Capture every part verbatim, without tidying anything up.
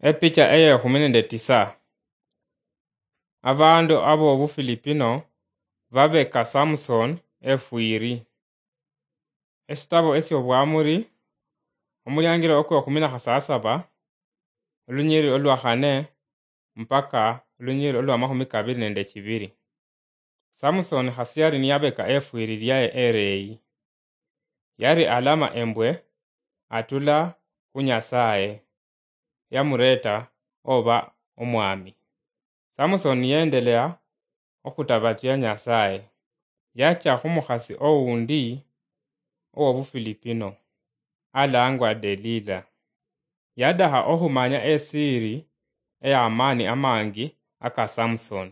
Epicha eyekhumi nende tisa. Abandu abobufilipino babeka Samson efwiri. Esitabo esyobwamuri, omuliangiro okwekhumi na khasasaba, olunyiri olwa khane mpaka olunyiri olwa makhumi kabiri nende chibiri. Samson khasi yari niyabeka efwiri lyaye ereyi. Yari alama embwe atula khu Nyasaye, yamureta oba omwami. Samson niyendelea okhutabatia Nyasaye, yacha khumukhasi oundi owobufilipino, alangwa Delila. Yadakha okhumanya esiri eyamaani amangi aka Samson.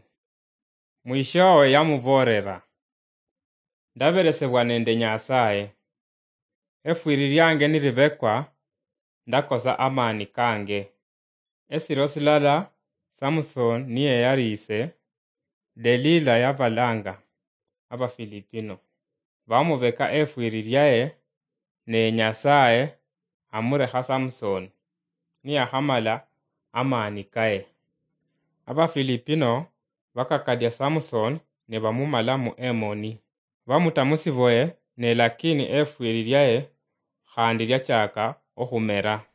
Mwishowe yamuboolera, "Ndaberesebwa nende Nyasaye. Efwiri lyange nilibekwa, ndakosa amaani kange." Esiro silala Samson niyeyariise, Delila yabalanga Abafilipino, bamubeka efwiri lyaye, ne Nyasaye amurekha Samson, niyakhamala amaani kaye. Abafilipino bakakadia Samson ne bamumala mu emoni. Bamuta musiboye, ne lakini efwiri lyaye khandi lyachaka okhumera.